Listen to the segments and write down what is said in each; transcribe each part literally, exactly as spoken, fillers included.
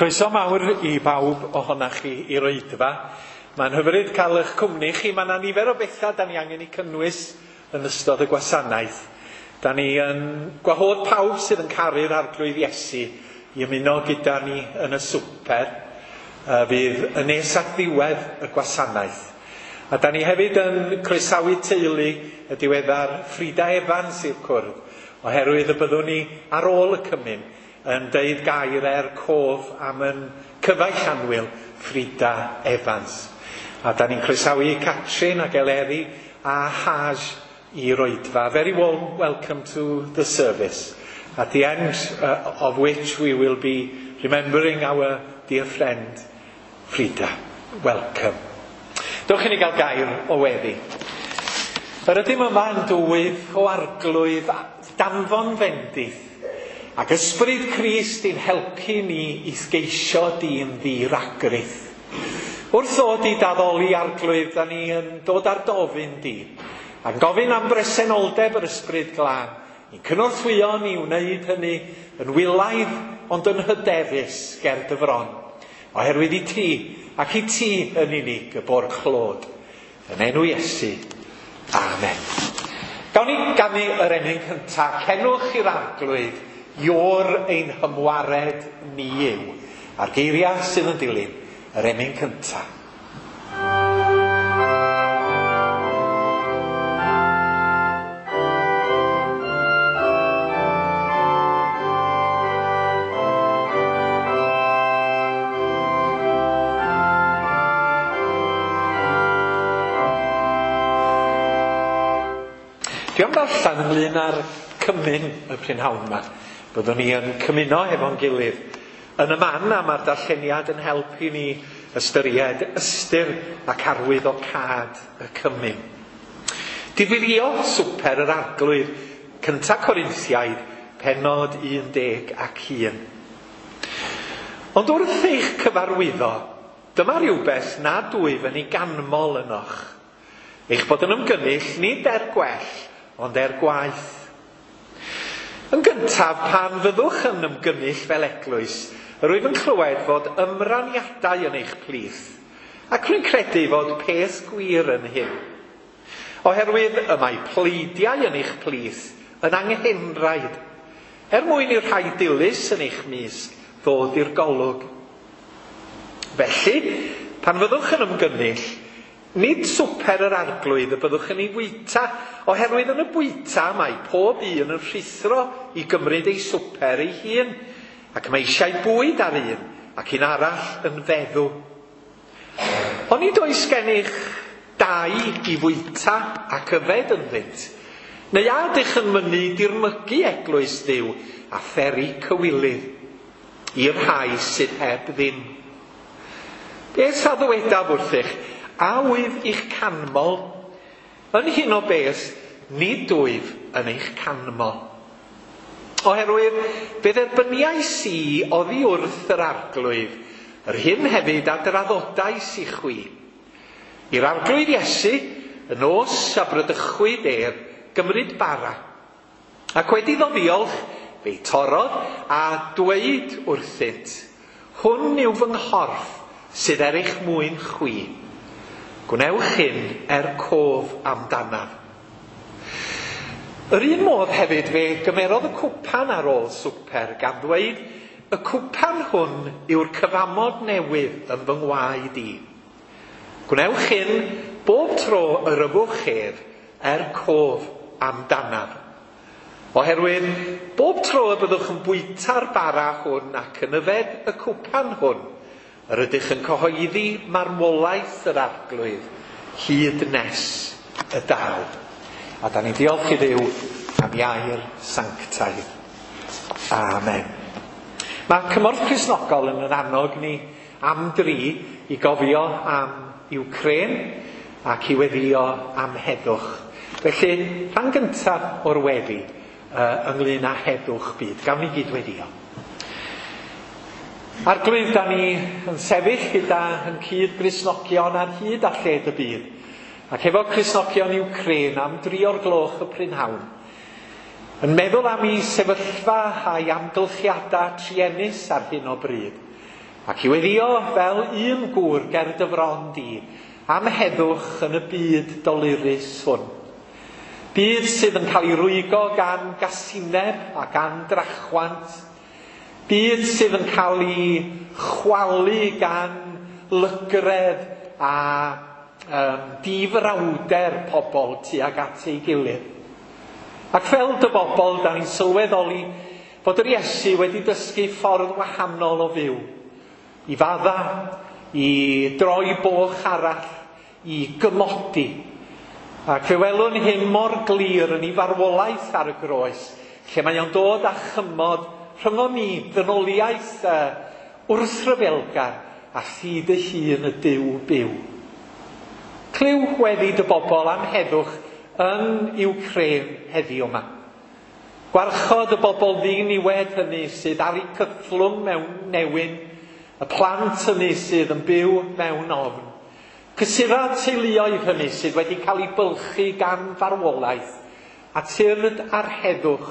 Croeso mawr i bawb ohonoch chi i'r oedfa. Mae'n hyfryd cael eich cwmni chi. Mae yna nifer o bethau da ni angen eu cynnwys yn ystod y gwasanaeth. Da ni yn gwahodd pawb sydd yn caru'r Arglwydd Iesu i ymuno gyda ni yn y swper. Uh, fydd yn nes at ddiwedd y gwasanaeth. A da ni hefyd yn croesawu teulu y diweddar Frida Evans i'r cwrdd, oherwydd y byddwn ni ar ôl y cymun yn deud gair er cof am yn cyfaill annwyl Frida Evans. A da ni'n croesawu Catrin ac Eleri a Haj i'r oedfa. Very warm welcome to the service, at the end uh, of which we will be remembering our dear friend Frida. Welcome. Dewch i ni gael gair o weddi. Yr ydym yma yn dwyf o Arglwydd danfon fendith ac ysbryd Crist i'n helpu ni i sgeisio di'n ddiragrith. Wrth ddod i daddoli Arglwydd, da ni yn dod ar dofyn di, a'n gofyn am bresenoldeb yr ysbryd glân, i'n cynorthwyo ni wneud hynny yn wylaidd ond yn hyderus ger dy fron, oherwydd i ti ac i ti yn unig y bo'r clod. Yn enw Iesu. Amen. Gawn ni ganu yr emyn cyntaf, Cenwch i'r Arglwydd, Ior ein hymwared ni yw. A'r geiriau sydd yn dilyn yr emyn cyntaf. Dwi am ddarllen ynglyn â'r cymun y prynhawn yma. Byddwn ni yn cymuno efo'n gilydd yn y man, a mae'r darlleniad yn helpu ni ystyried ystyr ac arwydd o cad y cymun. Difyrio swper yr Arglwydd, cynta Corinthiaid, pennod un deg ac un. Ond wrth eich cyfarwyddo, dyma rhywbeth nad wyf yn ei ganmol ynoch. Eich bod yn ymgynnull nid er gwell, ond er gwaith. Yn gyntaf, pan fyddwch yn ymgynnull fel eglwys, yr wyf yn clywed fod ymraniadau yn eich plith, ac rwy'n credu fod peth gwir yn hyn. Oherwydd y mae pleidiau yn eich plith yn anghenraid, er mwyn i'r rhai dilys yn eich mysg ddod i'r golwg. Felly, pan fyddwch yn ymgynnull, nid swper yr Arglwydd y byddwch yn ei fwyta, oherwydd yn y bwyta mae pob un yn rhuthro i gymryd ei swper ei hun, ac mae eisiau bwyd ar un, ac un arall yn feddw. Onid oes gennych dau i fwyta ac yfed ynddynt, neu a ydych yn mynnu dirmygu eglwys Dduw a pheri cywilydd i'r rhai sydd heb ddim? Beth a ddywedaf wrthych? A wyf i'ch canmol? Yn hyn o beth, nid wyf yn eich canmol. Oherwydd, fe dderbyniais i oddi wrth yr Arglwydd, yr hyn hefyd a draddodais i chwi. I'r Arglwydd Iesu, y nos a bradychwyd ef, gymryd bara. Ac wedi iddo ddiolch, fe'i torrodd a dweud wrthynt, hwn yw fy nghorff sydd er eich mwyn chwi. Gwnewch hyn er cof amdanaf. Yr un modd hefyd fe gymerodd y cwpan ar ôl swper gan ddweud, y cwpan hwn yw'r cyfamod newydd yn fy ngwaed i. Gwnewch hyn bob tro yr yfwch ef er cof amdanaf. Oherwydd, bob tro y byddwch yn bwyta'r bara hwn ac yn yfed y cwpan hwn, yr ydych yn cyhoeddi marwolaeth yr Arglwydd hyd nes y daw. A da ni'n diolch i Dduw am iair sanctaidd. Amen. Mae Cymorth Cristnogol yn yn annog ni am dri i gofio am Wcráin ac i weddio am heddwch. Felly, rhan gyntaf o'r weddi uh, ynglyn â heddwch byd. Gawn ni gyd weddio. Arglwydd, da ni yn sefyll gyda yn cyd Gristnogion ar hyd a lled y byd, ac efo Cristnogion Wcráin am dri o'r gloch y prynhawn, yn meddwl am ei sefyllfa a'i amgylchiadau truenus ar hyn o bryd, Ac i weddio fel un gŵr ger dy fron di, am heddwch yn y byd dolurus hwn. Byd sydd yn cael ei rwygo gan gasineb a gan drachwant. Byd sydd yn cael ei chwalu gan lygredd a um, difrawder pobl tuag at ei gilydd. Ac fel dy bobl, da ni'n sylweddoli fod yr Iesu wedi dysgu ffordd wahanol o fyw. I fadda, i droi boch arall, i gymodi. Ac fe welwn hyn mor glir yn ei farwolaeth ar y groes, lle mae o'n dod â chymod rhyngon ni, ddynoliaeth uh, wrthryfelgar a thŷ dy hun y Duw byw. Clyw weddi dy bobl am heddwch yn Iwcrain heddiw yma. Gwarchod y bobl ddiniwed hynny sydd ar eu cythlwng mewn newyn, y plant hynny sydd yn byw mewn ofn. Cysura teuluoedd hynny sydd wedi cael eu bylchu gan farwolaeth, a tyrd ar heddwch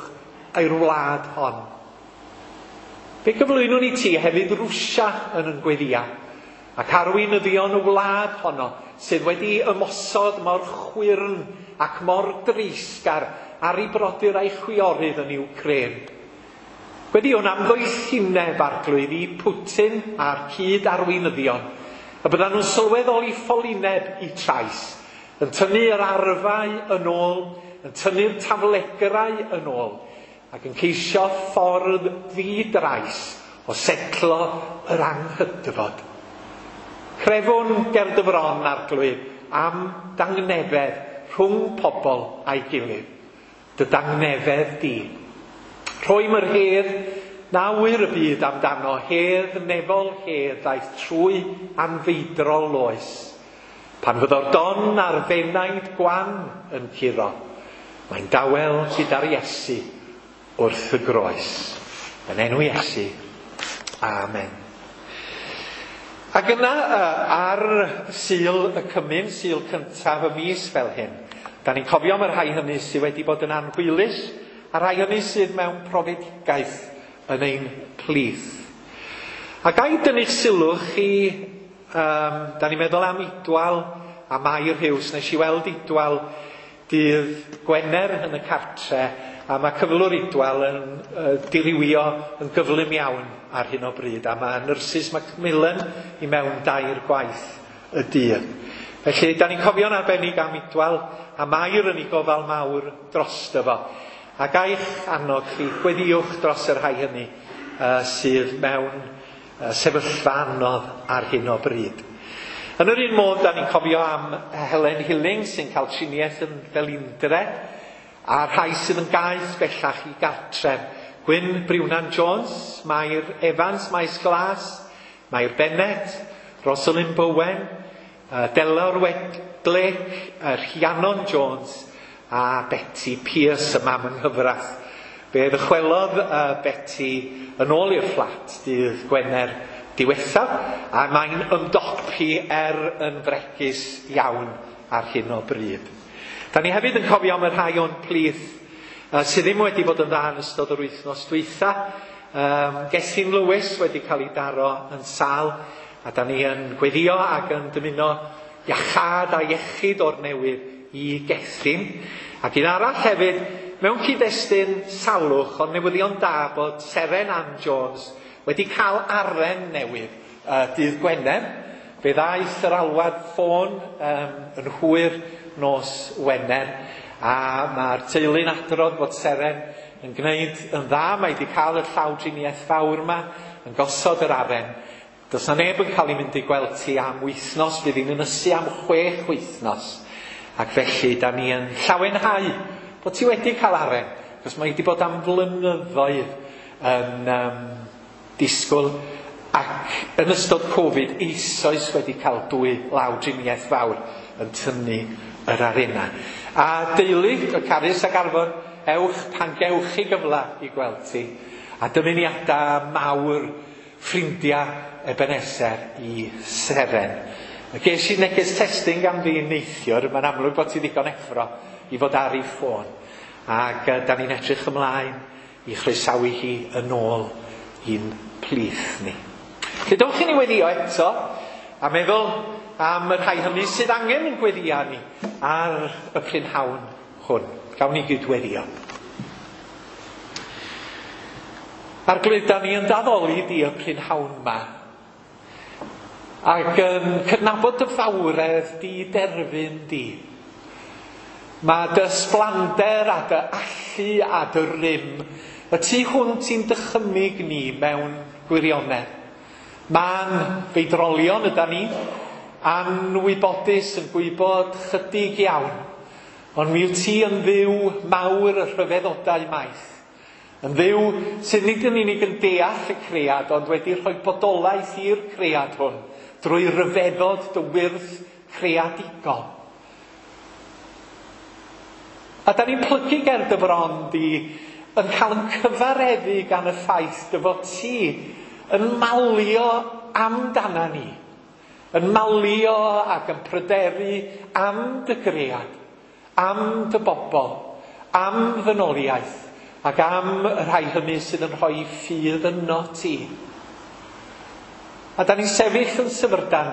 i'r wlad hon. Fe gyflwynwn i ti hefyd Rwsia yn yn gweddia, ac arweinyddion y wlad honno sydd wedi ymosod mor chwyrn ac mor dreisgar ar ei brodyr a'i chwiorydd yn Iwcrain. Gweddiwn am ddoethineb Arglwydd i Putin a'r cyd arweinyddion, y byddan nhw'n sylweddoli ffolineb i trais, yn tynnu yr arfau yn ôl, yn tynnu'r taflegrau yn ôl, ac yn ceisio ffordd ddi-drais o setlo yr anghydfod. Crefwn ger dy fron, Arglwydd, am dangnefedd rhwng pobl a'i gilydd. Dy dangnefedd di. Rhoim yr hedd na wyr y byd amdano, hedd nefol hedd ddaeth trwy anfeidrol oes. Pan fyddo'r don a'r fenaid gwan yn curo, mae'n dawel gyda'r Iesu wrth y groes. Yn enw Iesu. Amen. Ac yna ar Sul y Cymun, Sul cyntaf y mis fel hyn, da ni'n cofio am y rhai hynny sydd wedi bod yn anhwylus, a rhai hynny sydd mewn profedigaeth yn ein plith. A ga i dynnu'ch sylw chi, um, da ni'n meddwl am Idwal a Mair Hughes. Nes i weld Idwal dydd Gwener yn y cartre, a mae cyflwr Idwal yn uh, dirywio yn gyflym iawn ar hyn o bryd, a mae nyrsys Macmillan i mewn dair gwaith y dydd. Felly, da ni'n cofio'n arbennig am Idwal a Mair yn ei gofal mawr drosto fo. A gaich annog chi, gweddiwch dros y rhai hynny uh, sydd mewn uh, sefyllfa anodd ar hyn o bryd. Yn yr un modd, da ni'n cofio am Helen Hilling sy'n cael triniaeth yn Felindre, a rhai sydd yn gaeth bellach i gartref. Gwyn Briwnan Jones, Mair Evans, Maes Glas, Mair Bennett, Rosalind Bowen, uh, Delor Wedlake, uh, Rhiannon Jones a Betty Pierce, y mam yng nghyfraith. Fe ddychwelodd uh, Betty yn ôl i'r fflat dydd Gwener diwethaf, a mae'n ymdopi er yn fregus iawn ar hyn o bryd. Da ni hefyd yn cofio am y rhai o'n plith uh, sydd ddim wedi bod yn dda yn ystod yr wythnos dwytha. Um, Gethin Lewis wedi cael ei daro yn sâl, a da ni yn gweddio ac yn dymuno iachâd a iechyd o'r newydd i Gethin. Ac un arall hefyd, mewn cyd-destun salwch, ond newyddion da bod Seren Ann Jones wedi cael aren newydd uh, dydd Gwener. Fe ddaeth yr alwad ffôn um, yn hwyr nos Wener, a mae'r teulu'n adrodd bod Seren yn gwneud yn dda. Mae wedi cael y llawdriniaeth fawr yma, yn gosod yr aren. Does na neb yn cael ei mynd i gweld ti am wythnos, fydd hi'n ynysu am chwech wythnos. Ac felly, da ni yn llawenhau bod ti wedi cael aren, achos mae wedi bod am flynyddoedd yn um, disgwyl, ac yn ystod Covid eisoes wedi cael dwy lawdriniaeth fawr yn tynnu yr arena. A deulu, y Carys ac Arfon, ewch pan gewch chi gyfle i gweld ti. A dymuniadau mawr ffrindiau Ebenezer i Seren. Ges i neges testun gan fi neithiwr, mae'n amlwg bod ti ddigon effro i fod ar ei ffôn. Ac uh, da ni'n edrych ymlaen i chroesawu hi yn ôl i'n plith ni. Felly dowch i ni weddio eto a meddwl am y rhai hynny sydd angen yn gweddio ni ar y prynhawn hwn. Gawn ni gyd-weddio. Arglwydd, da ni yn daddoli di y prynhawn yma ac yn cydnabod dy fawredd di derfyn di. Mae dy ysblander a dy allu a dy rym y tu hwnt i'n dychymyg ni mewn gwirionedd. Ma'n feidrolion yda ni, anwybodus yn gwybod chydig iawn, ond mi wyt ti yn Dduw mawr y rhyfeddodau maith. Yn Dduw sydd nid yn unig yn deall y cread, ond wedi rhoi bodolaeth i'r cread hwn drwy ryfeddod dy wyrth creadigol. A da ni'n plygu ger dy fron di yn cael yn cyfareddu gan y ffaith dy fod ti yn malio amdana ni, yn malio ac yn pryderu am dy gread, am dy bobl, am ddynoliaeth, ac am y rhai hynny sydd yn rhoi ffydd yno ti. A da ni'n sefyll yn syfrdan,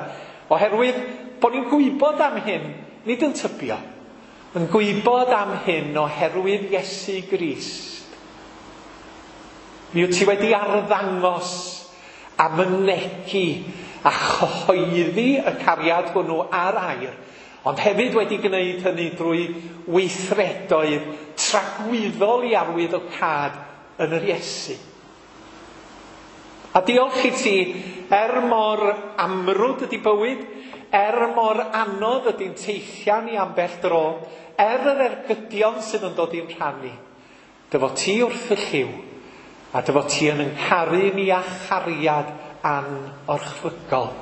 oherwydd bod ni'n gwybod am hyn, nid yn tybio, yn gwybod am hyn oherwydd Iesu Grist. Mi wyt ti wedi arddangos a mynegi a chyhoeddi y cariad hwnnw ar air, ond hefyd wedi gwneud hynny drwy weithredoedd tragwyddol i arwydd o cad yn yr Iesu. A diolch i ti, er mor amrwd ydy bywyd, er mor anodd ydy'n teithiau ni ambell dro, er yr ergydion sydd yn dod i'n rhannu, dy fod ti wrth y lliw, a dy fod ti yn yn caru ni â chariad anorchfygol.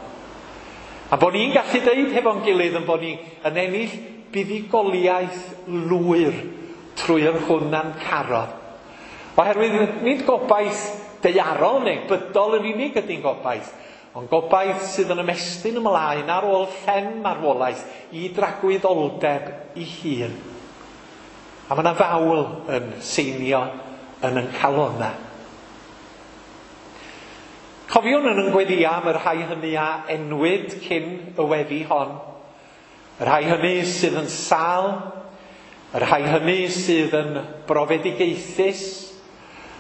A bod ni'n gallu deud hefo'n gilydd yn bod ni yn ennill buddugoliaeth lwyr trwy yr hwn a'n carodd. Oherwydd nid gobaith daearol neu bydol yn unig ydy'n gobaith, ond gobaith sydd yn ymestyn ymlaen ar ôl llen marwolaeth i dragwyddoldeb i hun. A mae yna fawl yn seinio yn yn calonna. Cofiwn yn yn gweddio am y rhai hynny a enwyd cyn y weddi hon. Y rhai hynny sydd yn sâl, y rhai hynny sydd yn brofedigaethus,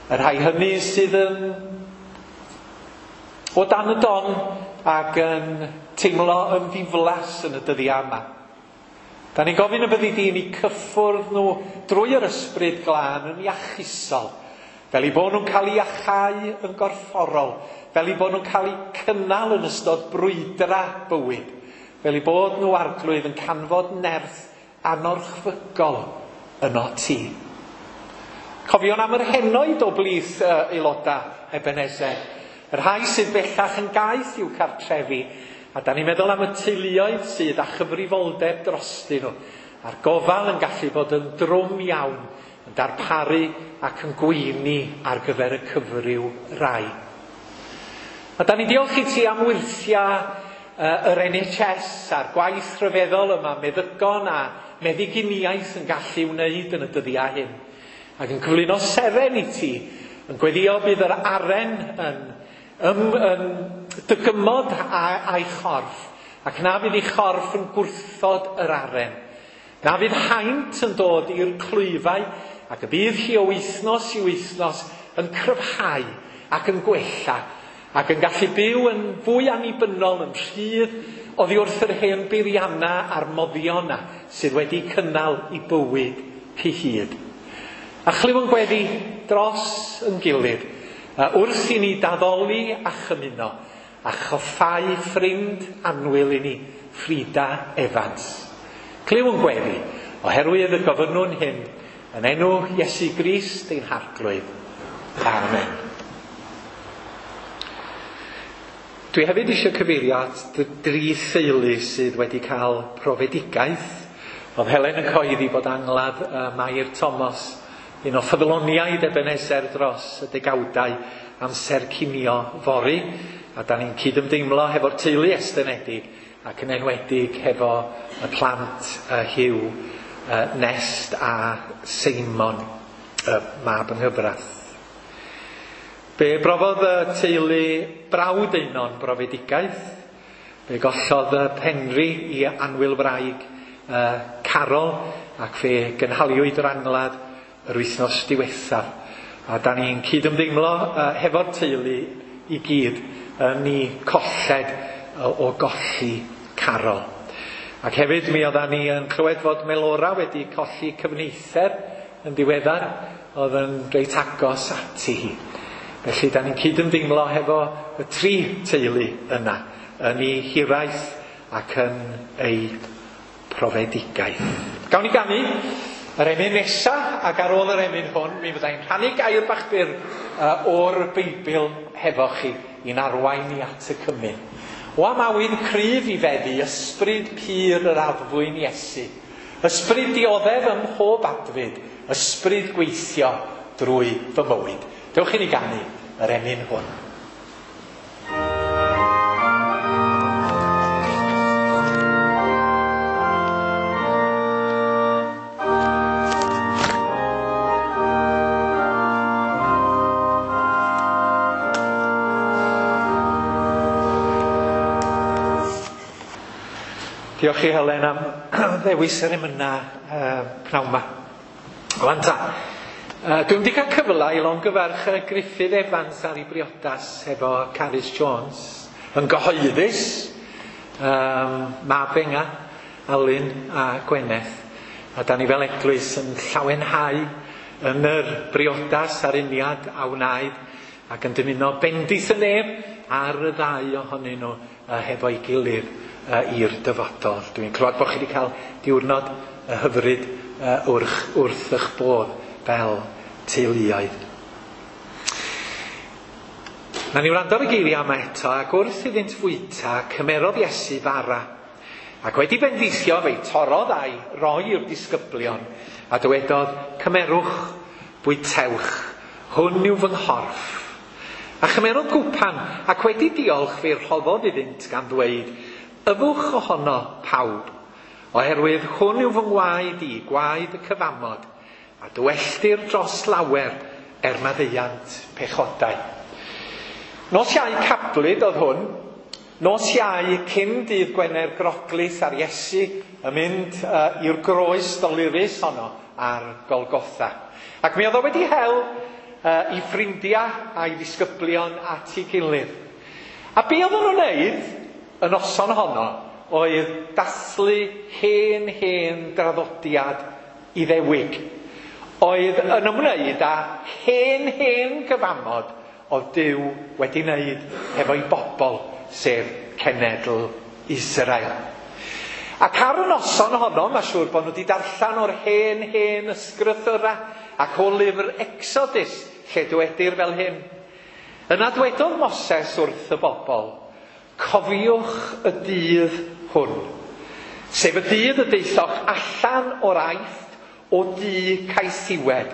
y rhai hynny sydd yn o dan y don ac yn teimlo yn ddiflas yn y dyddiau yma. Da ni'n gofyn y byddi di i ni cyffwrdd nhw drwy yr ysbryd glân yn iachusol, fel eu bod nhw'n cael eu iachau yn gorfforol, fel eu bod nhw'n cael eu cynnal yn ystod brwydra bywyd, fel eu bod nhw Arglwydd yn canfod nerth anorchfygol yno ti. Cofion am yr henoed o blith uh, aelodau Ebenezer, y rhai sydd bellach yn gaeth i'w cartrefi, a da ni'n meddwl am y teuluoedd sydd â chyfrifoldeb drostyn nhw, a'r gofal yn gallu bod yn drwm iawn, yn darparu ac yn gweini ar gyfer y cyfryw rai. A da ni'n diolch i ti am wyrthiau uh, yr N H S a'r gwaith rhyfeddol yma meddygon a meddyginiaeth yn gallu wneud yn y dyddiau hyn. Ac yn cyflwyno seren i ti, yn gweddio bydd yr aren yn, yn, yn dygymod a'i chorff, ac na fydd ei chorff yn gwrthod yr aren. Na fydd haint yn dod i'r clwyfau, ac y bydd hi o wythnos i wythnos yn cryfhau ac yn gwella, ac yn gallu byw yn fwy annibynnol, yn rhydd oddi wrth yr hen beirianna a'r moddion sydd wedi cynnal i bywyd cyhyd. A chlyw yn gweddi dros yn gilydd, wrth i ni daddoli a chymuno, a choffau ffrind annwyl i ni, Frida Evans. Clyw yn gweddi, oherwydd y gofynnwn hyn, yn enw Iesu Grist ein Harglwydd. Amen. Dwi hefyd eisiau cyfeirio at dri theulu sydd wedi cael profedigaeth. Oedd Helen yn cyhoeddi bod angladd uh, Mair Thomas, un o ffyddloniaid Ebenezer dros y degawdau amser cinio fory, a da ni'n cydymdeimlo hefo'r teulu estynedig ac yn enwedig hefo y plant uh, Hugh, uh, Nest a Seimon, y uh, mab yng nghyfraith. Fe brofodd y teulu brawd Einon brofedigaeth. Fe gollodd y Penri i annwyl wraig uh, Carol, ac fe gynhaliwyd yr angladd yr wythnos diwethaf. A da ni'n cydymdeimlo uh, hefo'r teulu i gyd yn ei colled uh, o golli Carol. Ac hefyd mi oeddan ni yn clywed fod Melora wedi colli cyfneither yn ddiweddar, oedd yn reit agos ati hi. Felly da ni'n cydymdeimlo hefo y tri teulu yna, yn ei hiraeth ac yn ei profedigaeth. Gawn ni ganu yr emyn nesa, ac ar ôl yr emyn hwn, mi fyddai'n rhannu gair bach byr uh, o'r Beibl hefo chi i'n arwain ni at y cymun. O am awydd cryf i feddu ysbryd pur yr addfwyn Iesu, ysbryd dioddef ym mhob adfyd, ysbryd gweithio drwy fy mywyd. Dewch i ni ganu yr emyn hwn. Diolch i Helen am ddewis yr emyna uh, pnawn ma. Wan ta, uh, dwi'n wedi cael cyfle i longyfarch Gruffydd Evans ar ei briodas efo Carys Jones yn gyhoeddus, um, mab Enga, Alun a Gwyneth. A da ni fel eglwys yn llawenhau yn yr briodas a'r uniad a wnaed ac yn dymuno bendith y nef ar y ddau ohonyn nhw uh, hefo'i gilydd i'r dyfodol. Dwi'n clywed bod chi wedi cael diwrnod hyfryd wrth, wrth eich bodd fel teuluoedd. Na ni wrando ar y geiriau yma eto, ac wrth iddynt fwyta, cymerodd Iesu fara, ac wedi bendithio fe'i torrodd a'i roi i'r disgyblion, a dywedodd, cymerwch, bwytewch, hwn yw fy nghorff. A chymerodd gwpan, ac wedi diolch fe'i rhoddodd iddynt gan ddweud, yfwch ohono pawb, oherwydd hwn yw fy ngwaed i, gwaed y cyfamod, a dywelltir dros lawer er maddeuant pechodau. Nos Iau cablyd oedd hwn, nos Iau cyn dydd Gwener Groglith ar Iesu yn mynd uh, i'r groes dolurus honno ar Golgotha. Ac mi oedd o wedi hel uh, i ffrindiau a'i ddisgyblion at ei gilydd. A be oedden nhw'n wneud y noson honno oedd dathlu hen hen draddodiad Iddewig, oedd yn ymwneud â hen hen gyfamod oedd Duw wedi wneud hefo'i bobl, sef cenedl Israel. Ac ar y noson honno, mae siŵr bod nhw wedi darllen o'r hen hen ysgrythura ac o lyfr Exodus, lle dywedir fel hyn. Yna dwedodd Moses wrth y bobl, cofiwch y dydd hwn, sef y dydd y daethoch allan o'r Aifft o dŷ caethiwed,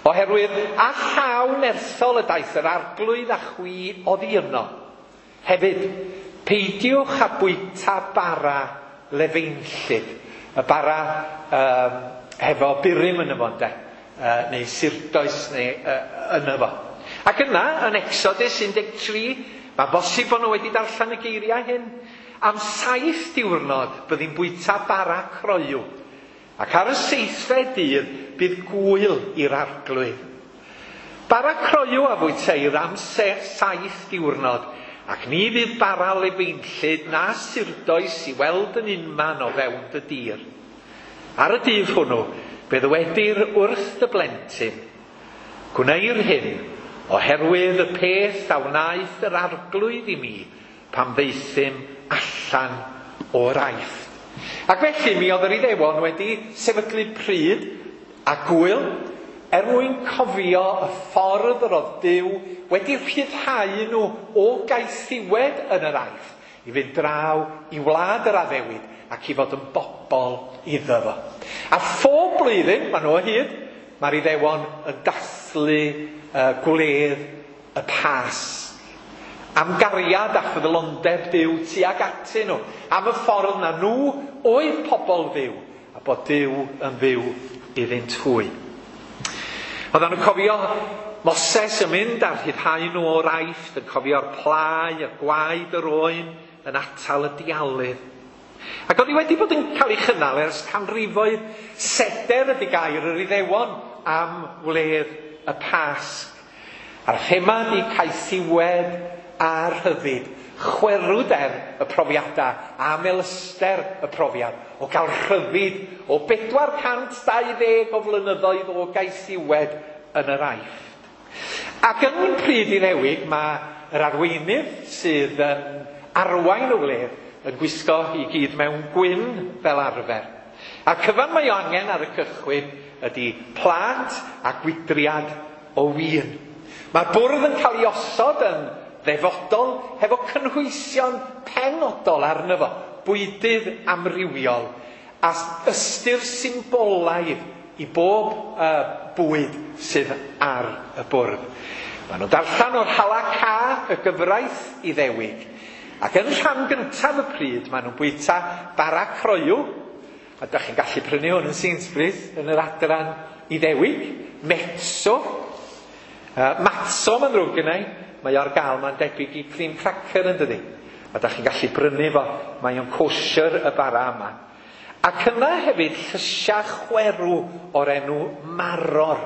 oherwydd a llaw nerthol y daeth yr arglwydd a chwi oddi yno. Hefyd, peidiwch â bwyta bara lefeinllyd, y bara um, hefo burum yn y fo, ynde, uh, neu sirdoes neu uh, yn y fo. Ac yna, yn Exodus un deg tri, mae'n bosib bod nhw wedi darllen y geiriau hyn. Am saith diwrnod byddi'n bwyta bara croyw, ac ar y seithfed dydd bydd gwyl i'r arglwydd. Bara croyw a fwyteir am saith diwrnod, ac ni fydd bara lefeinllyd na sirdoes i weld yn unman o fewn dy dir. Ar y dydd hwnnw, fe ddywedir wrth dy blentyn, gwneir hyn, oherwydd y peth a wnaeth yr arglwydd i mi pan ddaethum allan o'r Aifft. Ac felly mi oedd yr Iddewon wedi sefydlu pryd a gwyl er mwyn cofio y ffordd yr oedd Duw wedi rhyddhau nhw o gaethiwed yn yr Aifft i fynd draw i wlad yr addewid ac i fod yn bobl iddo fo. A phob blwyddyn, maen nhw o hyd, mae'r Iddewon yn dathlu uh, gwledd y Pasg. Am gariad a ffyddlondeb Duw tuag atyn nhw. Am y ffordd na nhw oedd pobl Dduw, a bod Duw yn fyw iddynt hwy. Oedden nhw'n cofio Moses yn mynd a rhyddhau nhw o'r Aifft, yn cofio'r plau, y gwaed yr oen, yn atal y dialydd. Ac oedd hi wedi bod yn cael ei chynnal ers canrifoedd. Seder ydy gair yr Iddewon am wledd y Pasg. A'r thema ydy caethiwed a rhyddid, chwerwder y profiadau a melyster y profiad o gael rhyddid o bedwar cant dau ddeg o flynyddoedd o gaethiwed yn yr Aifft. Ac yn pryd Iddewig mae yr arweinydd sydd yn arwain y wledd yn gwisgo i gyd mewn gwyn fel arfer. A'r cyfan mae o angen ar y cychwyn ydy plât a gwydriad o win. Mae'r bwrdd yn cael ei osod yn ddefodol hefo cynhwysion penodol arno fo, bwydydd amrywiol a ystyr symbolaidd i bob uh, bwyd sydd ar y bwrdd. Maen nhw'n darllen o'r Halakha, y gyfraith Iddewig. Ac yn rhan gyntaf y pryd, maen nhw'n bwyta bara croyw, a dach chi'n gallu prynu hwn yn Sainsbury's yn yr adran Iddewig, metso, uh, matzo mae'n ddrwg gynna i, mae ar gael, mae'n debyg i cream cracker yn dydi. A dach chi'n gallu brynu fo, mae o'n kosher y bara yma. Ac yna hefyd llysiau chwerw o'r enw maror.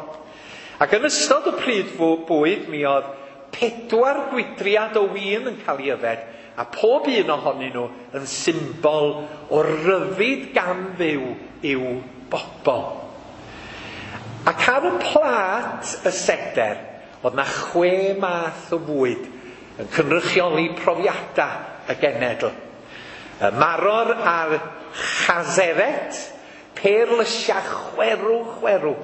Ac yn ystod y pryd bwyd mi oedd pedwar gwydriad o win yn cael ei yfed, a pob un ohonyn nhw yn symbol o ryddid gan Dduw i'w bobl. Ac ar y plât y seder, oedd na chwe math o fwyd yn cynrychioli profiadau y genedl. Y maror a'r chazeret, perlysiau chwerw chwerw,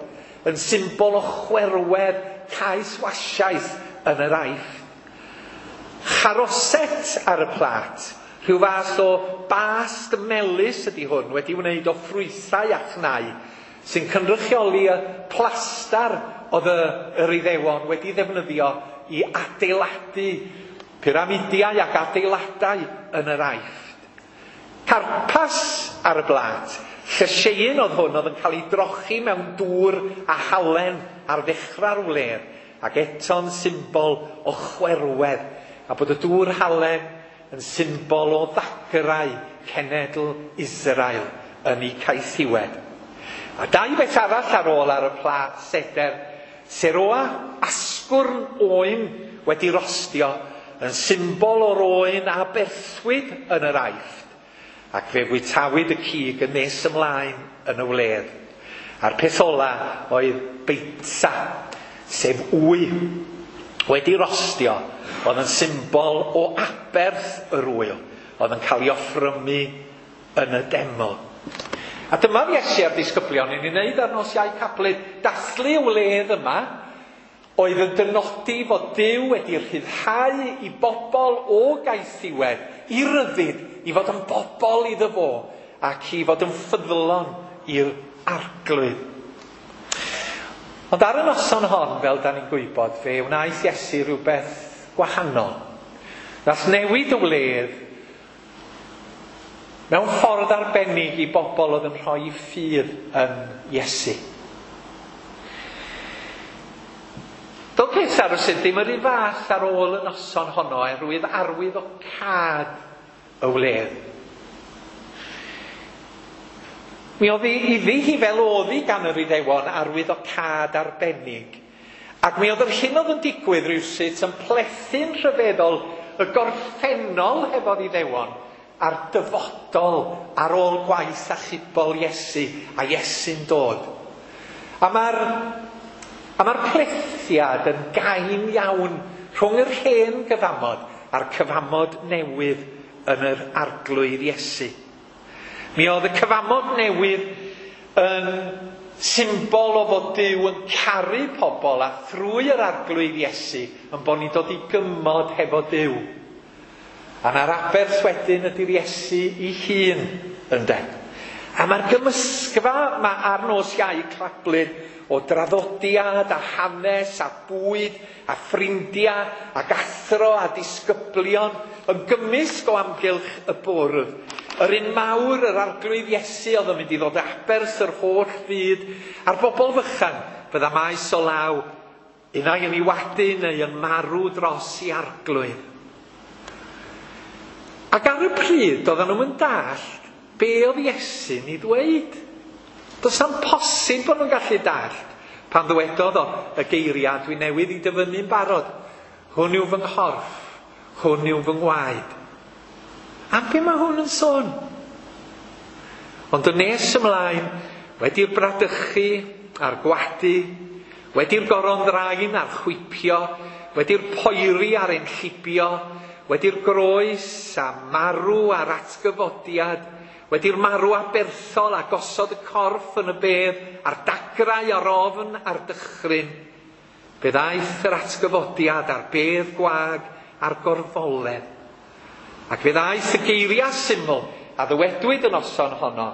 yn symbol o chwerwedd caethwasiaeth yn yr Aifft. Charoset ar y plât, rhyw fath o bast melys ydy hwn, wedi wneud o ffrwythau a chnau, sy'n cynrychioli y plastar oedd y, yr Iddewon wedi ddefnyddio i adeiladu pyramidiau ac adeiladau yn yr Aifft. Carpas ar y blât, llysieuyn oedd hwn oedd yn cael ei drochi mewn dŵr a halen ar ddechrau'r wledd, ac eto'n symbol o chwerwedd, a bod y dŵr halen yn symbol o ddagrau cenedl Israel yn ei caethiwed. A dau beth arall ar ôl ar y plât seder, seroa asgwrn oen wedi rostio yn symbol o'r oen a berthwyd yn yr Aifft, ac fe fwytawyd y cig yn nes ymlaen yn y wledd. A'r peth ola oedd beitsa, sef wy, wedi rostio, oedd yn symbol o aberth yr ŵyl, oedd yn cael ei offrymu yn y deml. A dyma Iesu a'r disgyblion yn ei wneud ar nos Iau Cablyd, dathlu y wledd yma, oedd yn dynodi fod Duw wedi rhyddhau i bobl o gaethiwed, i ryddid, i fod yn bobl iddo fo, ac i fod yn ffyddlon i'r Arglwydd. Ond ar y noson hon, fel da ni'n gwybod, fe wnaeth Iesu rhywbeth gwahanol. Nath newid y wledd mewn ffordd arbennig i bobl oedd yn rhoi ffydd yn Iesu. Doedd pethau rywsut ddim yr un fath ar ôl y noson honno oherwydd arwydd o cad y wledd. Mi oedd iddi hi fel oedd hi gan yr Iddewon arwydd o cad arbennig. Ac mi oedd yr hyn oedd yn digwydd rywsut yn plethu'n rhyfeddol y gorffennol hefo'r Iddewon a'r dyfodol ar ôl gwaith achubol Iesu a Iesu'n dod. A mae'r a mae'r plethiad yn gain iawn rhwng yr hen gyfamod a'r cyfamod newydd yn yr Arglwydd Iesu. Mi oedd y cyfamod newydd yn symbol o fod Duw yn caru pobl a thrwy yr Arglwydd Iesu yn bod ni'n dod i gymod hefo Duw. A na'r aberth wedyn ydy'r Iesu ei hun, ynde. A mae'r gymysgfa ma ar nos Iau Clablyd o draddodiad a hanes a bwyd a ffrindiau ac athro a disgyblion yn gymysg o amgylch y bwrdd. Yr un mawr, yr Arglwydd Iesu, oedd yn mynd i ddod aberth yr holl fyd, a'r bobl fychan fydda maes o law Unai yn ei wadu neu yn marw dros i arglwydd. Ac ar y pryd, oedden nhw'n yn dallt be oedd Iesu'n ei ddweud. Does na'm posib bod nhw'n gallu dallt pan ddywedodd o y geiriau dwi newydd i dyfynnu'n barod. Hwn yw fy nghorff, hwn yw fy ngwaed. Am be mae hwn yn sôn? Ond yn nes ymlaen, wedi'r bradychu a'r gwadu, wedi'r goron ddrain a'r chwipio, wedi'r poeri a'r enllibio, wedi'r groes a marw a'r atgyfodiad, wedi'r marw aberthol a gosod y corff yn y bedd, a'r dagrau a'r ofn a'r dychryn, fe ddaeth yr atgyfodiad a'r bedd gwag a'r gorfoledd. Ac fe ddaeth y geiriau syml a ddywedwyd y noson honno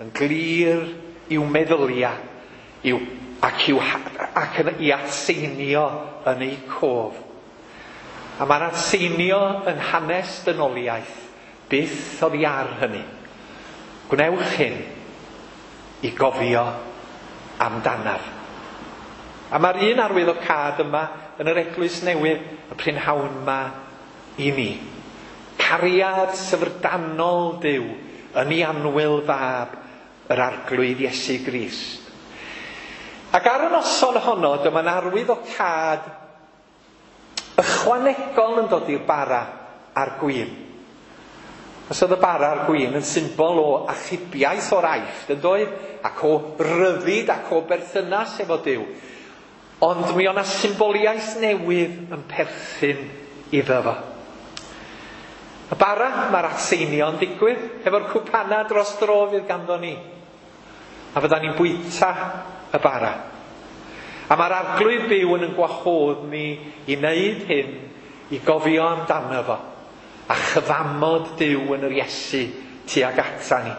yn glir i'w meddyliau i'w, ac, i'w, ac yn, i atseinio yn eu cof. A mae'r atseinio yn hanes dynoliaeth byth oddi ar hynny. Gwnewch hyn i gofio amdanaf. A mae'r un arwyddocâd yma yn yr eglwys newydd y prynhawn yma i ni. Cariad syfrdanol Duw yn ei annwyl fab yr Arglwydd Iesu Grist. Ac ar y noson honno, dyma'n arwyddocâd ychwanegol yn dod i'r bara a'r gwin. Os oedd y bara a'r gwin yn symbol o achubiaeth o'r Aifft, yn doedd, ac o ryddid ac o berthynas efo Duw. Ond mi o'na symboliaeth newydd yn perthyn iddo fo. Y bara, mae'r atseinio'n digwydd efo'r cwpana dros dro fydd ganddo ni. A fydda ni'n bwyta y bara. A mae'r Arglwydd byw yn yn gwahodd ni i wneud hyn, i gofio amdano fo, a chyfamod Duw yn yr Iesu tuag ata ni.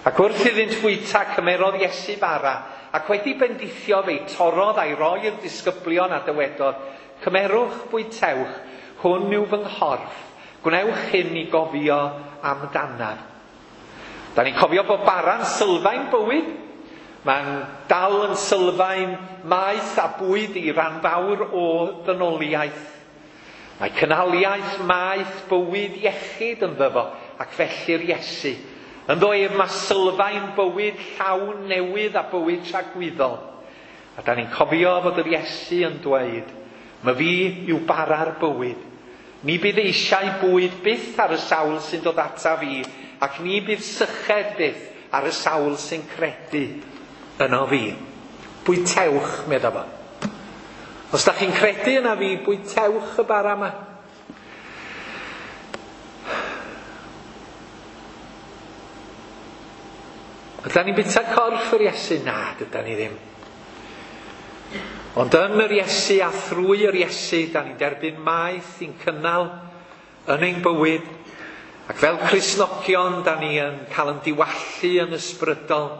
Ac wrth iddynt fwyta, cymerodd Iesu bara, ac wedi bendithio fe'i torrodd a'i roi i'r disgyblion a dywedodd, cymerwch, bwytewch, hwn yw fy nghorff, gwnewch hyn i gofio amdanaf. Da ni'n cofio bod bara'n sylfaen bywyd. Mae'n dal yn sylfaen maeth a bwyd i ran fawr o ddynoliaeth. Mae cynhaliaeth, maeth, bywyd, iechyd ynddo fo, ac felly'r Iesu. Ynddo ef mae sylfaen bywyd llawn newydd a bywyd tragwyddol. A da ni'n cofio fod yr Iesu yn dweud, "My fi yw bara'r bywyd. Ni bydd eisiau bwyd byth ar y sawl sy'n dod ata fi, ac ni bydd syched byth ar y sawl sy'n credu yno fi." Bwytewch, medda fo. Os da chi'n credu yna fi, bwytewch y bara yma. Ydan ni'n bwyta corff yr Iesu? Na, dydan ni ddim. Ond yn yr Iesu a thrwy yr Iesu, da ni'n derbyn maeth i'n cynnal yn ein bywyd. Ac fel Cristnogion, da ni yn cael yn diwallu yn ysbrydol.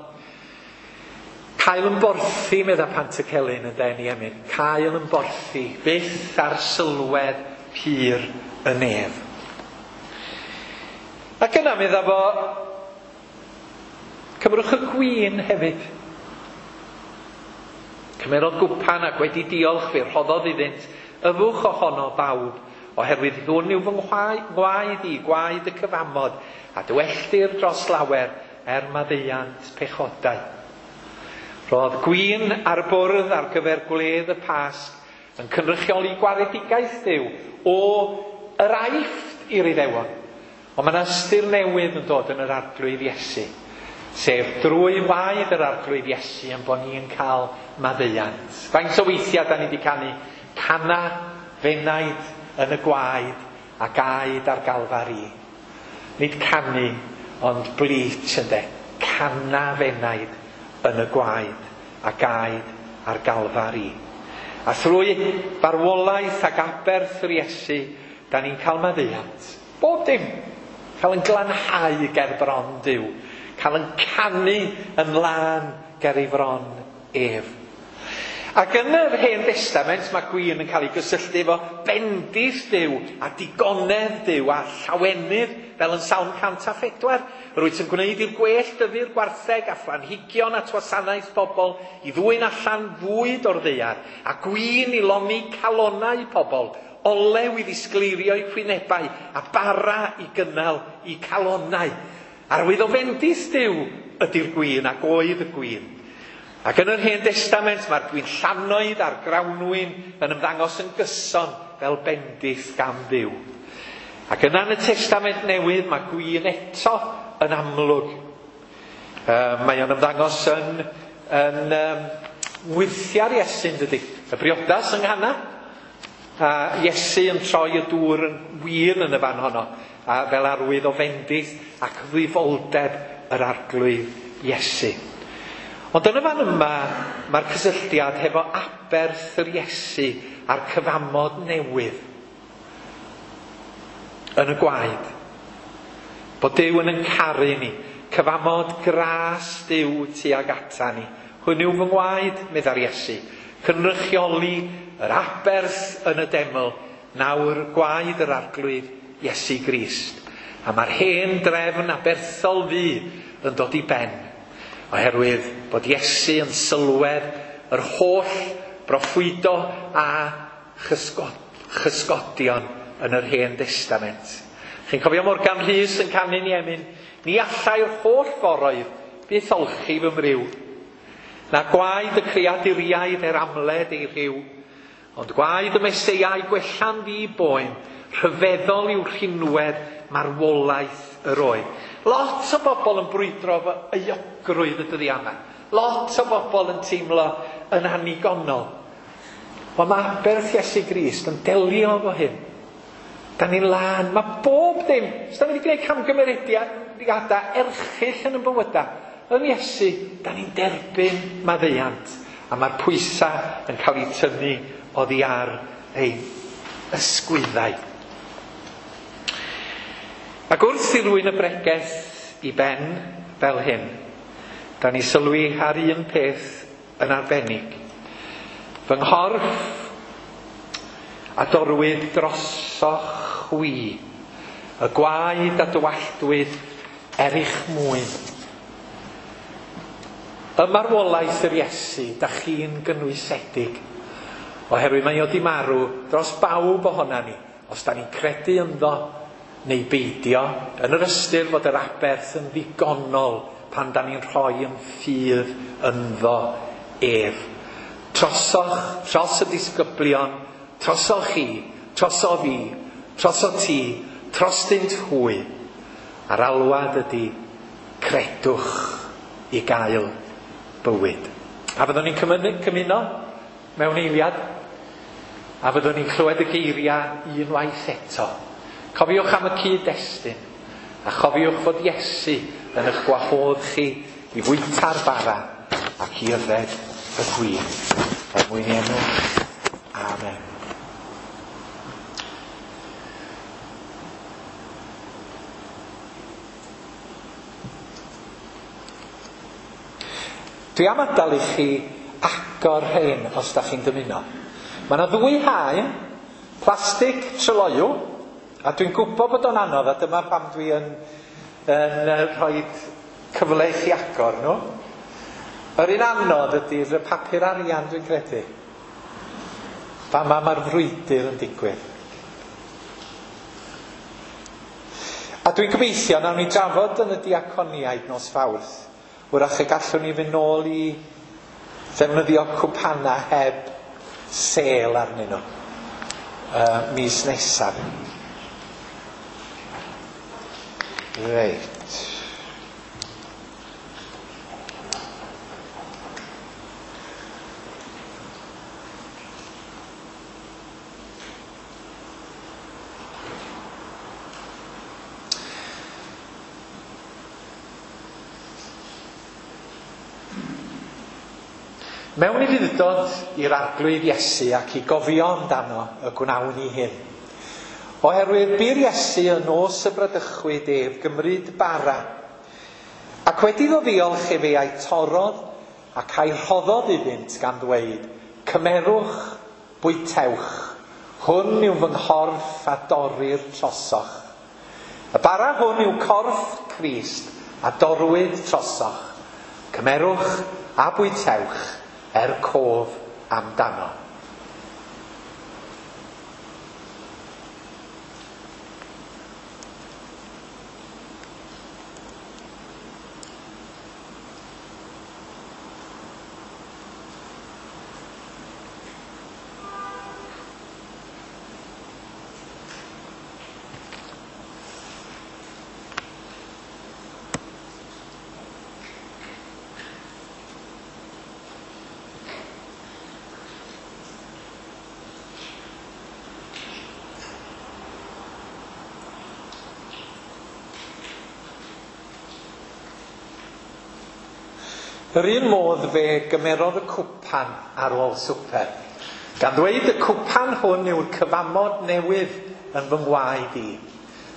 Cael yn borthi, medda Pantycelyn yn denu emyn. Cael yn borthi, byth ar sylwedd pur y nef. Ac yna, medda fo, cymrwch y gwin hefyd. Cymerodd gwpan ac wedi diolch fe rhoddodd iddynt, yfwch ohono bawb, oherwydd hwn yw fy ngwaed i, gwaed y cyfamod, a dywelltir dros lawer er maddeuant pechodau. Roedd gwin ar y bwrdd ar gyfer gwledd y Pasg yn cynrychioli gwaredigaeth Duw o yr Aifft i'r Iddewon. Ond mae yna ystyr newydd yn dod yn yr Arglwydd Iesu, sef drwy waed yr Arglwydd Iesu yn bod ni'n cael maddeuant. Faint o weithiau da ni wedi canu cana fenaid yn y gwaed a gaed ar Galfari. Nid canu, ond bleach ynde. Cana fenaid yn y gwaed a gaed ar Galfari. A thrwy farwolaeth ac aberth yr Iesu, da ni'n cael maddeuant. Bob dim. Cael yn glanhau ger bron Duw. Cael yn canu yn lân ger ei fron ef. Ac yn yr Hen Destament mae gwin yn cael ei gysylltu efo bendith Duw a digonedd Duw a llawenydd fel yn Salm cant a phedwar. Rwyt yn gwneud i'r gwell dyfu'r gwartheg a phlanhigion at wasanaeth pobl i ddwyn allan fwyd o'r ddaear a gwin i lonni calonnau pobl, olew i ddisgleirio'u hwynebau a bara i gynnal eu calonnau. Arwydd o fendith Duw ydy'r gwin ac oedd y gwin. Ac yn yr Hen Destament mae'r gwinllannoedd a'r grawnwin yn ymddangos yn gyson fel bendith gan Dduw. Ac yna yn y Testament Newydd mae gwin eto yn amlwg. Uh, mae o'n ymddangos yn, yn um, ngwyrthiau'r Iesu, dydy. Y briodas yng Nghana. A Iesu yn troi y dŵr yn win yn y fan honno, a fel arwydd o fendith ac ddifoldeb yr Arglwydd Iesu. Ond yn y fan yma, mae'r cysylltiad hefo aberth yr Iesu a'r cyfamod newydd yn y gwaed. Bod Duw yn ein caru ni, cyfamod gras Duw tuag ata ni. Hwn yw fy ngwaed, meddai'r Iesu, cynrychioli yr aberth yn y deml, nawr gwaed yr Arglwydd Iesu Grist. A mae'r hen drefn aberthol fu yn dod i ben, oherwydd bod Iesu yn sylwedd yr holl broffwydo a chysgod, chysgodion yn yr Hen Destament. Chi'n cofio Morgan Rhys yn canu'n ei emyn, ni allai'r holl foroedd byth olchi fy mriw, na gwaed y creaduriaid er amled ei rhyw, ond gwaed y Meseiau gwella'n ddi boen, rhyfeddol yw rhinwedd marwolaeth yr oedd. Lot o bobl yn brwydro efo euogrwydd y dyddiau yma. Lot o bobl yn teimlo yn annigonol. Ond mae aberth Iesu Grist yn delio efo hyn. Da ni'n lân, mae bob dim. Os da ni wedi gwneud camgymeriadau erchyll yn ein bywydau, yn Iesu, da ni'n derbyn maddeuant. A mae'r pwysau yn cael ei tynnu oddi ar ein ysgwyddau. Ac wrth i rywun y bregeth i ben fel hyn, da ni sylwi ar un peth yn arbennig. Fy nghorff a dorwyd drosoch chwi, y gwaed a dywalltwyd er eich mwyn. Y marwolaeth yr Iesu, da chi'n gynwysedig, oherwydd mae o di marw dros bawb ohona ni, os da ni'n credu ynddo neu beidio, yn yr ystyr fod yr aberth yn ddigonol pan da ni'n rhoi yn ffydd ynddo ef. Trosoch, tros y disgyblion, trosoch chi, troso fi, troso ti, trostynt hwy. A'r alwad ydy credwch i gael bywyd. A fyddwn ni'n cymuno mewn eiliad, a fyddwn ni'n clywed y geiriau unwaith eto. Cofiwch am y cyd-destun, a chofiwch fod Iesu yn eich gwahodd chi i fwyta'r bara ac i yfed y gwin. Er mwyn ei enw. Amen. Dwi am adael i chi agor rhain os da chi'n dymuno. Mae yna ddwy haen, plastig tryloyw, a dwi'n gwybod bod o'n anodd, a dyma pam dwi yn, yn rhoi cyfle i chi agor nhw. Yr un anodd ydy'r papur arian, dwi'n credu. Fama mae'r frwydr yn digwydd. A dwi'n gobeithio nawn ni drafod yn y diaconiaid nos Fawrth. Wrach y gallwn ni fynd nôl i ddefnyddio cwpana heb sêl arnyn nhw uh, mis nesaf. Reit. Mewn ufudd-dod i'r Arglwydd Iesu ac i gofio amdano y gwnawn ni hyn. Oherwydd bu'r Iesu yn nos y bradychwyd ef gymryd bara, ac wedi iddo ddiolch efe a'i torrodd ac a'i rhoddodd iddynt gan ddweud, Cymerwch, bwytewch, hwn yw fy nghorff a dorrir trosoch. Y bara hwn yw corff Crist a dorwyd trosoch. Cymerwch a bwytewch er cof amdano. Yr un modd fe gymerodd y cwpan ar ôl swper, gan ddweud y cwpan hwn yw'r cyfamod newydd yn fy ngwaed i.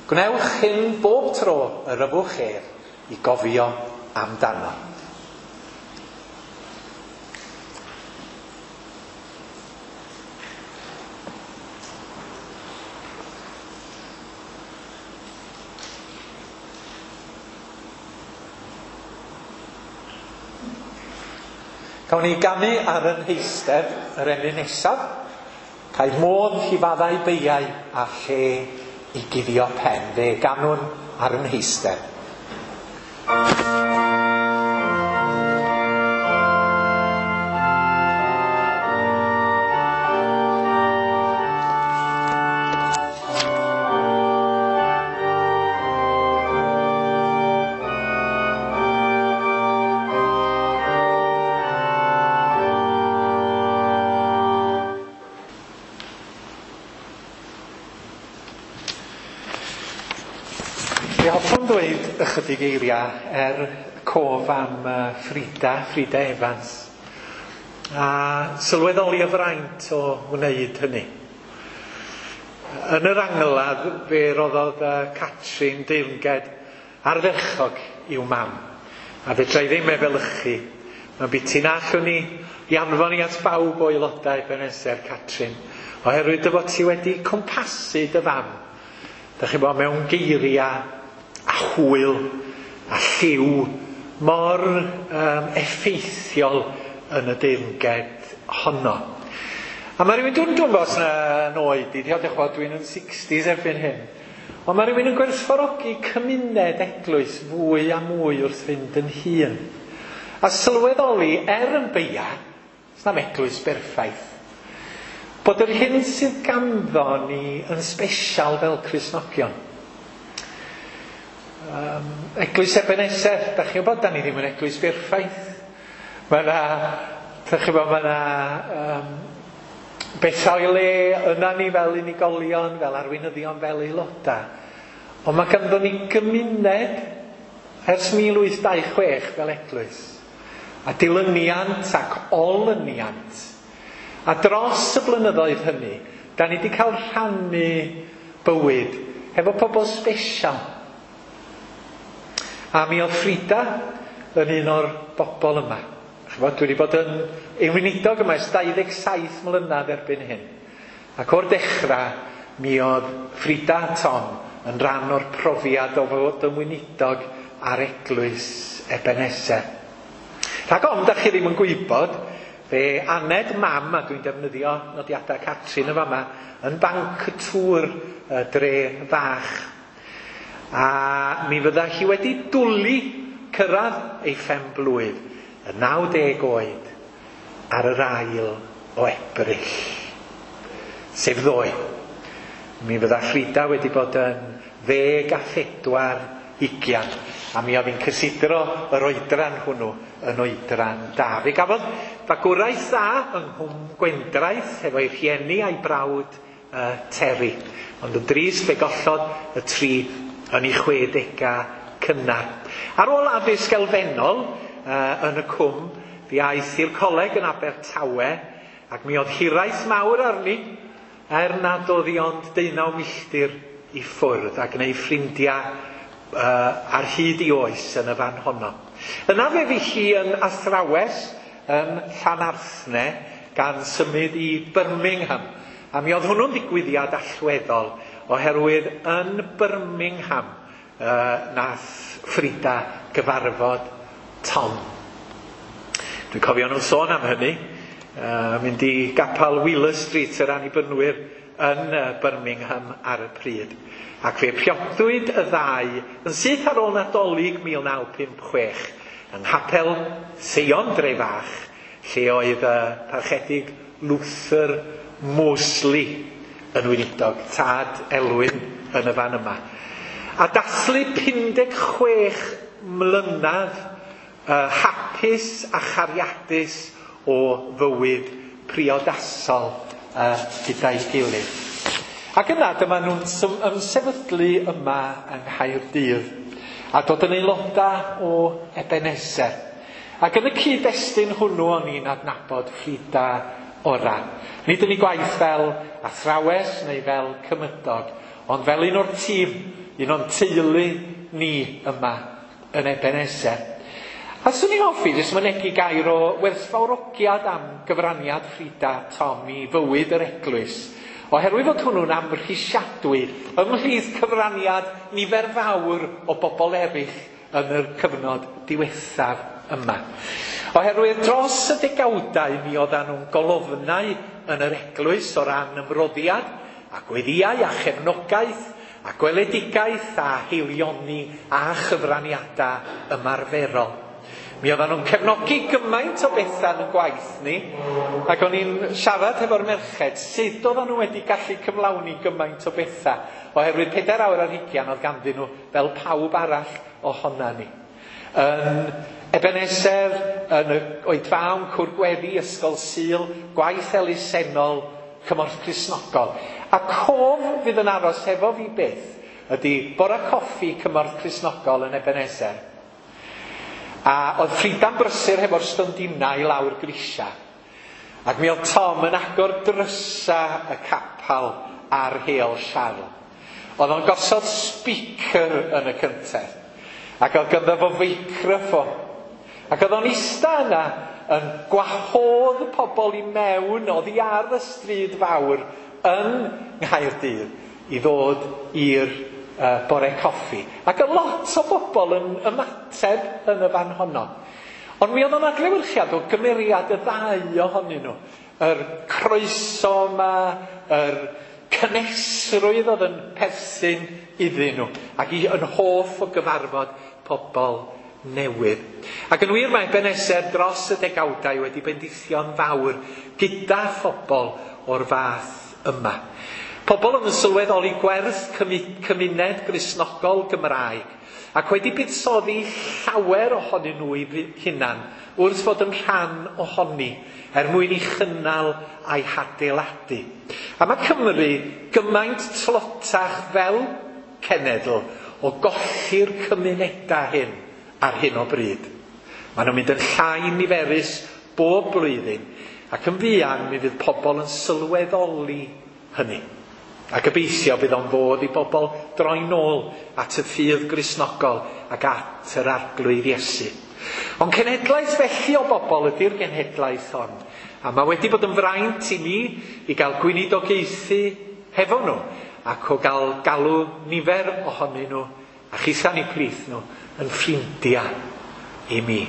Gwnewch hyn bob tro yr yfwch ef i gofio amdano. Cawn ni ganu ar yn heistedd yr emyn nesaf, cael modd i faddau beiau a lle i guddio pen. Fe ganwn ar yn heistedd. Fe hoffwn ddweud ychydig eiriau er cof am Frida, Frida Evans, a sylweddoli y fraint o wneud hynny. Yn yr angladd fe roddodd Catrin deyrnged ardderchog i'w mam, a fedra i ddim efelychu. Mae'n biti na allwn ni i anfon i at bawb o aelodau Ebenezer, Catrin, oherwydd dy fod ti wedi cwmpasu dy fam. Dach chi'n bod mewn geiriau a hwyl a lliw mor um, effeithiol yn y deyrnged honno. A mae rhywun, dwi'n dwi'n os na oed i, diolch yn dwi'n yn sixties erbyn hyn, ond mae rhywun yn gwerthfawrogi cymuned eglwys fwy a mwy wrth fynd yn hŷn. A sylweddoli, er yn beia, sna'm eglwys berffaith, bod yr hyn sydd ganddo ni yn sbesial fel Cristnogion. Um, eglwys Ebenezer, da chi'n gwybod, da ni ddim yn eglwys berffaith. Mae yna, da chi'n gwybod, mae yna um, bethau o'i le yna ni fel unigolion, fel arweinyddion, fel aelodau. Ond mae ganddo ni gymuned ers mil wyth dau chwech fel eglwys. A dilyniant ac olyniant. A dros y blynyddoedd hynny, da ni wedi cael rhannu bywyd hefo pobl sbesial. A mi oedd Frida yn un o'r bobl yma. Chibod, dwi wedi bod yn weinidog yma ers dau ddeg saith mlynedd erbyn hyn. Ac o'r dechrau, mi oedd Frida a Tom yn rhan o'r profiad o fod yn weinidog ar eglwys Ebenezer. Rhag ofn da chi ddim yn gwybod, fe aned mam, a dwi'n defnyddio nodiadau Catrin yn fama, yn banc y tŵr y dre fach. A mi fydda hi wedi dwlu cyrraedd ei phen blwydd, y naw deg oed, ar yr ail o Ebrill, sef ddoe. Mi fydda Frida wedi bod yn ddeg a phedwar ugian, a mi oedd hi'n cysidro yr oedran hwnnw yn oedran da. Fe gafodd fagwraeth dda yng Nghwm Gwendraeth hefo'i rhieni a'i brawd uh, Terry. Ond yn drist fe gollodd y tri yn ei chwedegau cynnar. Ar ôl addysg elfennol uh, yn y cwm, fe aeth i'r coleg yn Abertawe, ac mi oedd hiraeth mawr arni, er nad oedd hi ond deunaw milltir i ffwrdd, ac gwneud ffrindiau uh, ar hyd i oes yn y fan honno. Yna fe fu hi yn athrawes yn Llanarthne gan symud i Birmingham. A mi oedd hwnnw'n ddigwyddiad allweddol, oherwydd yn Birmingham uh, nath Frida gyfarfod Tom. Dwi'n cofio nhw'n sôn am hynny, uh, mynd i gapel Wheeler Street yr Annibynwyr yn Birmingham ar y pryd. Ac fe priodwyd y ddau yn syth ar ôl Nadolig mil naw pump chwech yng Nghapel Seion Drefach, lle oedd y parchedig Luther Mosley yn weinidog, tad Elwyn yn y fan yma. A dathlu pum deg chwech mlynedd uh, hapus a chariadus o fywyd priodasol uh, gyda'i gilydd. Ac yna dyma nhw'n ymsefydlu yma yng Nghaerdydd a dod yn aelodau o Ebenezer. Ac yn y cyd-destun hwnnw o'n i'n adnabod Frida ora. Nid yn ei gwaith fel athrawes neu fel cymydog, ond fel un o'r tîm, un o'n teulu ni yma yn Ebenezer. A swn i'n hoffi jyst mynegi gair o werthfawrogiad am gyfraniad Frida Tom i fywyd yr eglwys, oherwydd fod hwnnw'n amhrisiadwy ymhlith cyfraniad nifer fawr o bobl eraill yn yr cyfnod diwethaf yma. Oherwydd dros y degawdau mi oeddan nhw'n golofnau yn yr eglwys o ran ymroddiad a gweddïau a chefnogaeth a gweledigaeth a heilioni a chyfraniadau ymarferol. Mi oeddan nhw'n cefnogi gymaint o bethau yn y gwaith ni, ac o'n i'n siarad hefo'r merched sut oeddan nhw wedi gallu cyflawni gymaint o bethau, oherwydd pedair awr ar hugain oedd ganddyn nhw fel pawb arall ohona ni. Yn Ebenezer, yn y oedfaon, cwr gweddi, ysgol Sul, gwaith elusennol, cymorth Cristnogol. A cof fydd yn aros hefo fi byth ydy bora coffi cymorth Cristnogol yn Ebenezer. A oedd Frida'n brysur hefo'r stondinau i lawr grisia. Ac mi oedd Tom yn agor drysa y capal ar Heol Siarl. Oedd o'n gosod speaker yn y cyntedd. Ac oedd ganddo fo feicroffon. Ac oedd o'n ista yna yn gwahodd pobl i mewn oddi ar y stryd fawr yn Nghaerdydd i ddod i'r uh, bore coffi. Ac oedd lot o bobl yn ymateb yn y fan honno. Ond mi oedd o'n adlewyrchiad o gymeriad y ddau ohonyn nhw. Yr croeso yma, yr cynhesrwydd oedd yn perthyn iddyn nhw, ac i yn hoff o gyfarfod pobl newydd. Ac yn wir mae Ebenezer dros y degawdau wedi bendithio'n fawr gyda phobl o'r fath yma. Pobl oedd yn sylweddoli gwerth cymuned Gristnogol Gymraeg ac wedi buddsoddi llawer ohonyn nhw i hunan wrth fod yn rhan ohoni er mwyn i chynnal a'i hadeiladu. A mae Cymru gymaint tlotach fel cenedl o golli'r cymunedau hyn ar hyn o bryd. Maen nhw'n mynd yn llai niferus bob blwyddyn, ac yn fuan mi fydd pobl yn sylweddoli hynny. A gobeithio bydd o'n fodd i bobl droi nôl at y ffydd Gristnogol ac at yr Arglwydd Iesu. Ond cenhedlaeth felly o bobl ydy'r genhedlaeth hon. A mae wedi bod yn fraint i ni i gael gweinidogaethu hefo nhw, ac o gael galw nifer ohonyn nhw, a chitha'n eu plith nhw, yn ffrindiau i mi.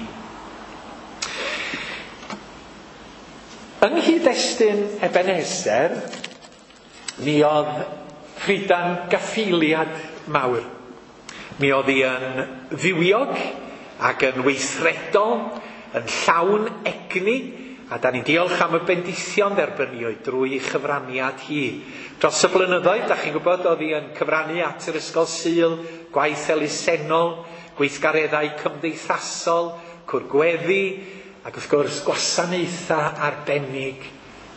Yng nghyd-destun Ebenezer, mi oedd Frida'n gaffeiliad mawr. Mi oedd hi yn fywiog ac yn weithredol, yn llawn egni, a da ni'n diolch am y bendithion dderbyniwyd drwy chyfraniad hi. Dros y blynyddoedd, da chi'n gwybod, oedd hi yn cyfrannu at yr ysgol Sul, gwaith elusennol, gweithgareddau cymdeithasol, cwr gweddi, ac wrth gwrs gwasanaethau arbennig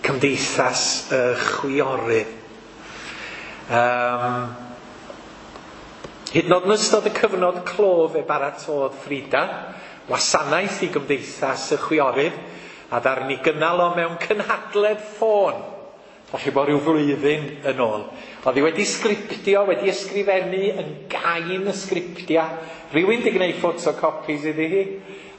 cymdeithas y chwiorydd. Um, hyd yn oed yn ystod y cyfnod clo fe baratôdd Frida wasanaeth i gymdeithas y chwiorydd, a ddaru ni gynnal o mewn cynhadledd ffôn, falle bod rhyw flwyddyn yn ôl. Oedd hi wedi sgriptio, wedi ysgrifennu yn gain y sgriptia. Rhywun wedi gwneud photocopies iddi hi,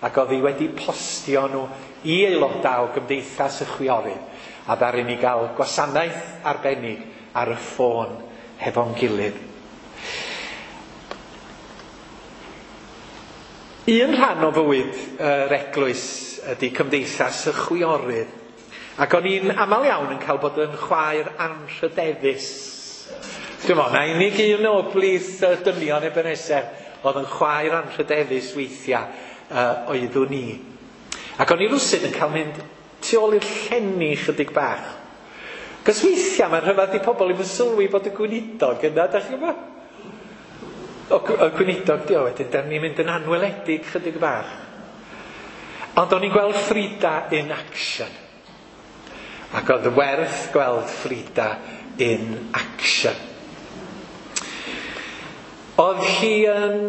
ac oedd hi wedi postio nhw i aelodau o Gymdeithas y Chwiorydd, a ddaru ni gael gwasanaeth arbennig ar y ffôn hefo'n gilydd. Un rhan o fywyd yr eglwys ydy Cymdeithas y Chwiorydd, ac o'n i'n aml iawn yn cael bod yn chwaer anrhydeddus. Dwi'n meddwl, na unig un o blith dynion Ebenezer oedd yn chwaer anrhydeddus weithiau uh, oeddwn i. Ac o'n i rwsut yn cael mynd tu ôl i'r llenni chydig bach. Cos weithiau mae'n rhyfedd i pobl ddim yn sylwi bod y gweinidog yna, da chi'n gwybod? O, y gweinidog di o wedyn, da ni'n mynd yn anweledig chydig bach. Ond o'n i'n gweld Frida in action. Ac oedd werth gweld Frida in action. Oedd hi yn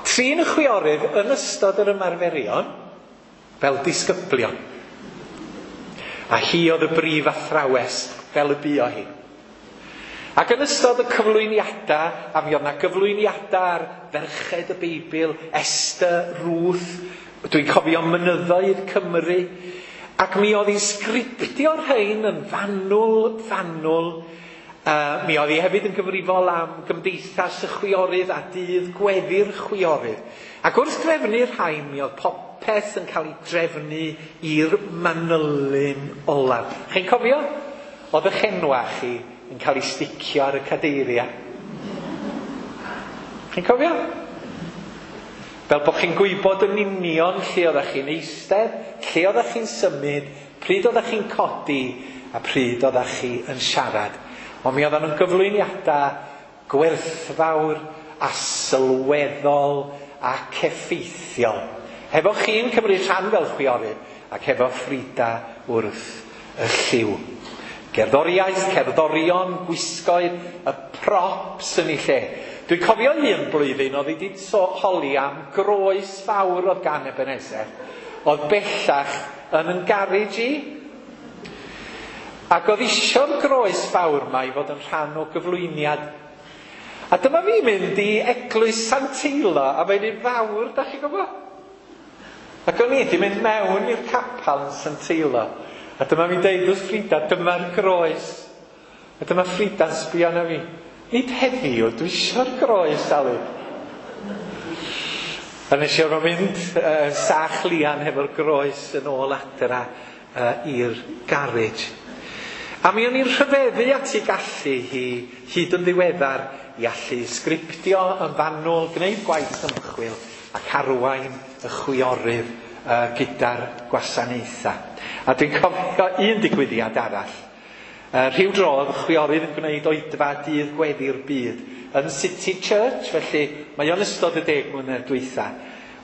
trin y chwiorydd yn ystod yr ymarferion fel disgyblion. A hi oedd y brif athrawes fel y buo hi. Ac yn ystod y cyflwyniadau, a mi oedd yna gyflwyniadau ar ferched y Beibl, Esther, Ruth, dwi'n cofio mynyddoedd Cymru, ac mi oedd hi'n sgriptio'r rhain yn fanwl, fanwl. Uh, mi oedd hi hefyd yn gyfrifol am Gymdeithas y Chwiorydd a dydd gweddi'r chwiorydd. Ac wrth drefnu'r rhain, mi oedd popeth yn cael ei drefnu i'r manylyn olaf. Chi'n cofio? Oedd eich enwa chi yn cael ei sticio ar y cadeiriau. Chi'n cofio? Fel bod chi'n gwybod yn union lle oeddech chi'n eistedd, lle oeddech chi'n symud, pryd oeddech chi'n codi, a pryd oeddech chi yn siarad. Ond mi oedden nhw'n gyflwyniadau gwerthfawr a sylweddol ac effeithiol. Hefo chi'n cymryd rhan fel chwiorydd ac hefo Frida wrth y lliw. Gerddoriaeth, cerddorion, gwisgoedd, y props yn ei lle. Dwi'n cofio un blwyddyn oedd wedi so holi am groes fawr oedd gan Ebenezer. Oedd bellach yn yn garej i. Ac oedd isio'r groes fawr yma i fod yn rhan o gyflwyniad. A dyma fi mynd i Eglwys Sant Teilo, a mae'n un fawr, da chi'n gwybod? Ac o'n i wedi mynd mewn i'r capel yn Sant Teilo. A dyma fi'n deud wrth Frida, dyma'r groes. A dyma Frida'n sbio arna fi. Nid heddiw, dwi isio'r groes, Alun. A nes i orfod mynd uh, sach lian hefo'r groes yn ôl adra uh, i'r garej. A mi o'n i'n rhyfeddu at ei gallu hi hyd yn ddiweddar i allu sgriptio yn fanwl, gwneud gwaith ymchwil ac arwain y chwiorydd uh, gyda'r gwasanaethau. A dwi'n cofio un digwyddiad arall. Uh, rhyw dro oedd chwiorydd yn gwneud oedfa dydd gweddi'r byd yn City Church, felly mae o'n ystod y deg mlynedd dwytha,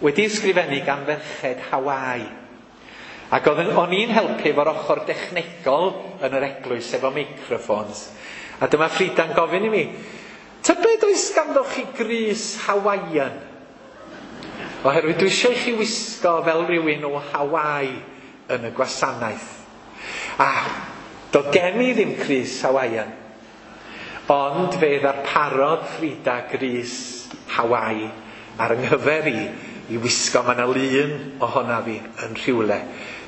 wedi ysgrifennu gan ferched Hawaii. Ac oedd o'n i'n helpu efo'r ochr dechnegol yn yr eglwys efo microphones. A dyma Frida'n gofyn i mi, tybed oes ganddo chi grys Hawaiian? Oherwydd dwi eisiau i chi wisgo fel rhywun o Hawaii yn y gwasanaeth. A doedd gen i ddim crys Hawaiian. Ond fe ddarparodd Frida grys Hawaii ar yng nghyfer i i wisgo. Mae yna lun ohona fi yn rhywle,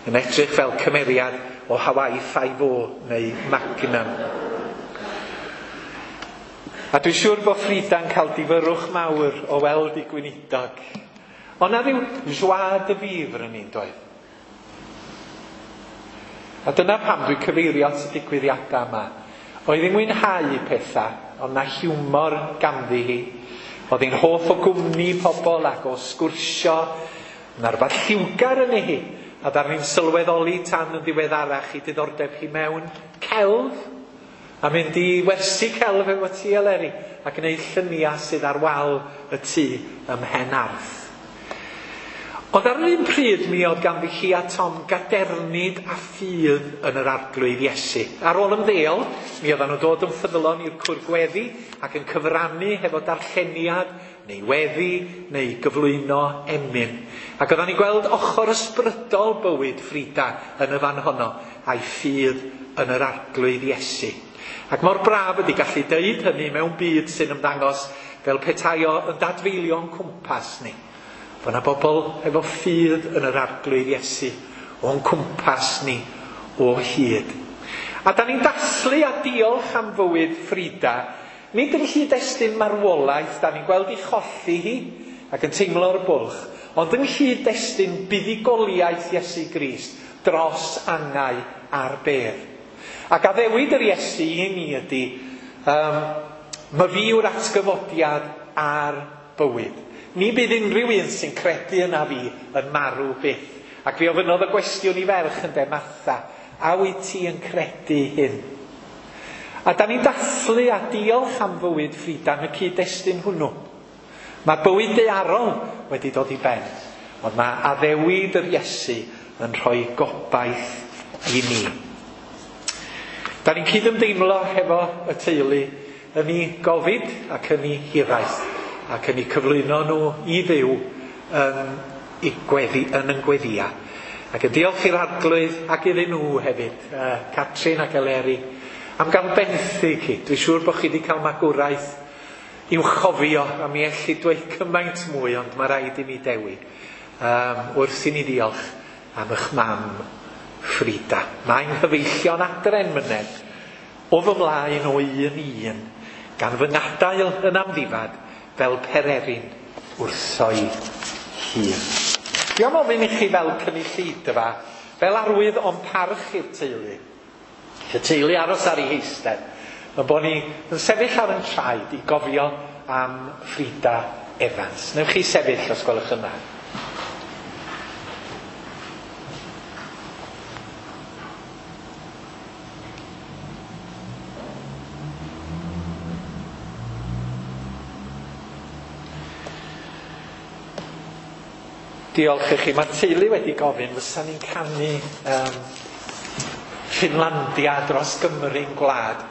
yn edrych fel cymeriad o Hawaii Five-O neu Magnum. A dwi'n siŵr bod Frida'n cael difyrrwch mawr o weld ei gweinidog. Ond na ryw joie de vivre yn un doedd. A dyna pam dwi'n cyfeirio at y digwyddiadau yma. Oedd hi'n mwynhau pethau, ond na hiwmor ganddi hi. Oedd hi'n hoff o gwmni pobl ac o sgwrsio. Yna rhywbeth lliwgar yn ei hi. A ddaru ni'n sylweddoli tan yn ddiweddarach i diddordeb hi mewn celf. A mynd i wersi celf efo ti, Eleri, a gwneud lluniau sydd ar wal y tŷ ym Mhen Arth. Ond ar yr un pryd mi oedd ganddi hi a Tom gadernid a ffydd yn yr Arglwydd Iesu. Ar ôl ymddeol, mi oedden nhw dod yn ffyddlon i'r cwr gweddi ac yn cyfrannu hefo darlleniad neu weddi neu gyflwyno emyn. Ac oedden ni'n gweld ochr ysbrydol bywyd Frida yn y fan honno a'i ffydd yn yr Arglwydd Iesu. Ac mor braf ydy gallu deud hynny mewn byd sy'n ymddangos fel petai o yn dadfeilio'n cwmpas ni. Fo' 'na bobl efo ffydd yn yr Arglwydd Iesu o'n cwmpas ni o hyd. A da ni'n dathlu a diolch am fywyd Frida, nid yn nghyd-destun marwolaeth, da ni'n gweld ei cholli hi ac yn teimlo'r bwlch, ond yng nghyd-destun buddugoliaeth Iesu Grist dros angau a'r bedd. Ac addewid yr Iesu i ni ydy, um, ma fi yw'r atgyfodiad a'r bywyd. Ni bydd unrhyw un sy'n credu yna fi yn marw byth. Ac fi ofynnodd y gwestiwn i ferch ynde, Martha, a wyt ti yn credu hyn? A da ni'n dathlu a diolch am fywyd Frida yn y cyd-destun hwnnw. Mae bywyd daearol wedi dod i ben, ond mae addewid yr Iesu yn rhoi gobaith i ni. Da ni'n cydymdeimlo hefo y teulu yn ei gofid ac yn ei hiraeth, ac yn ei cyflwyno nhw i Dduw yn ei gweddi, yn yn gweddia. Ac yn diolch i'r Arglwydd ac iddyn nhw hefyd, uh, Catrin ac Eleri, am gael benthyg hi. Dwi'n siŵr bod chi wedi cael magwraeth i'w chofio, a mi elli dweud cymaint mwy, ond mae rhaid i mi dewi. Um, wrth i ni ddiolch am eich mam Frida. Mae'n nghyfeillion adre'n myned o fy mlaen o un i un, gan fy ngadael yn amddifad fel pererin wrtho'i hun. Dwi am ofyn i chi fel cynulleidfa, fel arwydd o'n parch i'r teulu. Y teulu aros ar ei heistedd, yn bod ni yn sefyll ar yn traed i gofio am Frida Evans. Newch chi sefyll os gwelwch yn dda. Diolch i chi. Mae'r teulu wedi gofyn fysa ni'n canu um, Ffinlandia dros Gymru'n gwlad,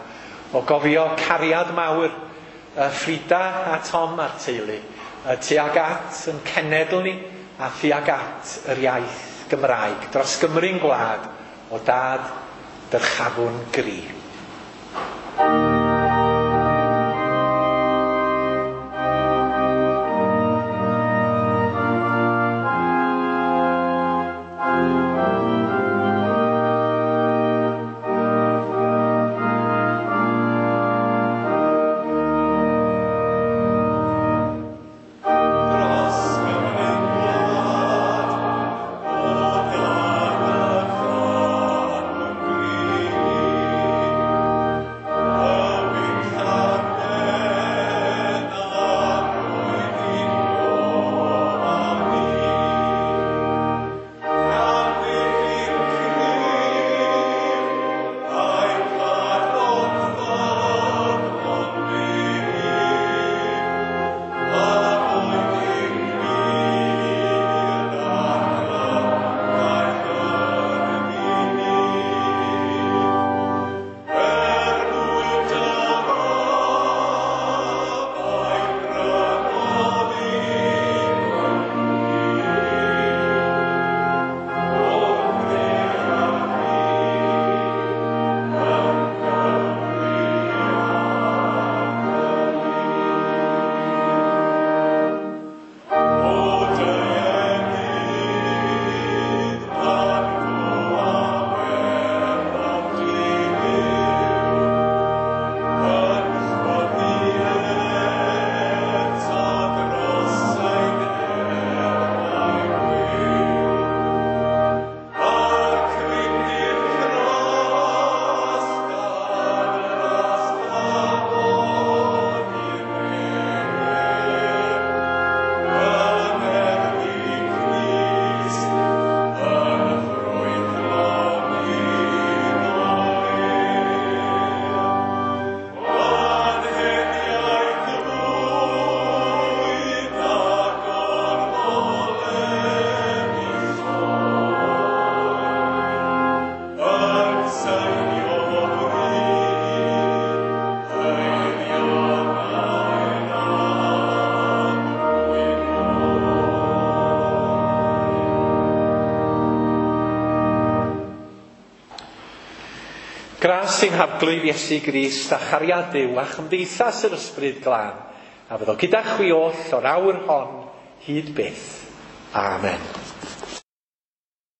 o gofio cariad mawr uh, Frida a Tom a'r teulu, uh, tuag at yn cenedl ni a thuag at yr iaith Gymraeg dros Gymru'n gwlad, o dad dyrchafwn gri. Gras i'n Harglwydd Iesu Grist a chariad Duw a chymdeithas yr Ysbryd Glân, a fyddo gyda chwi oll o'r awr hon hyd byth. Amen.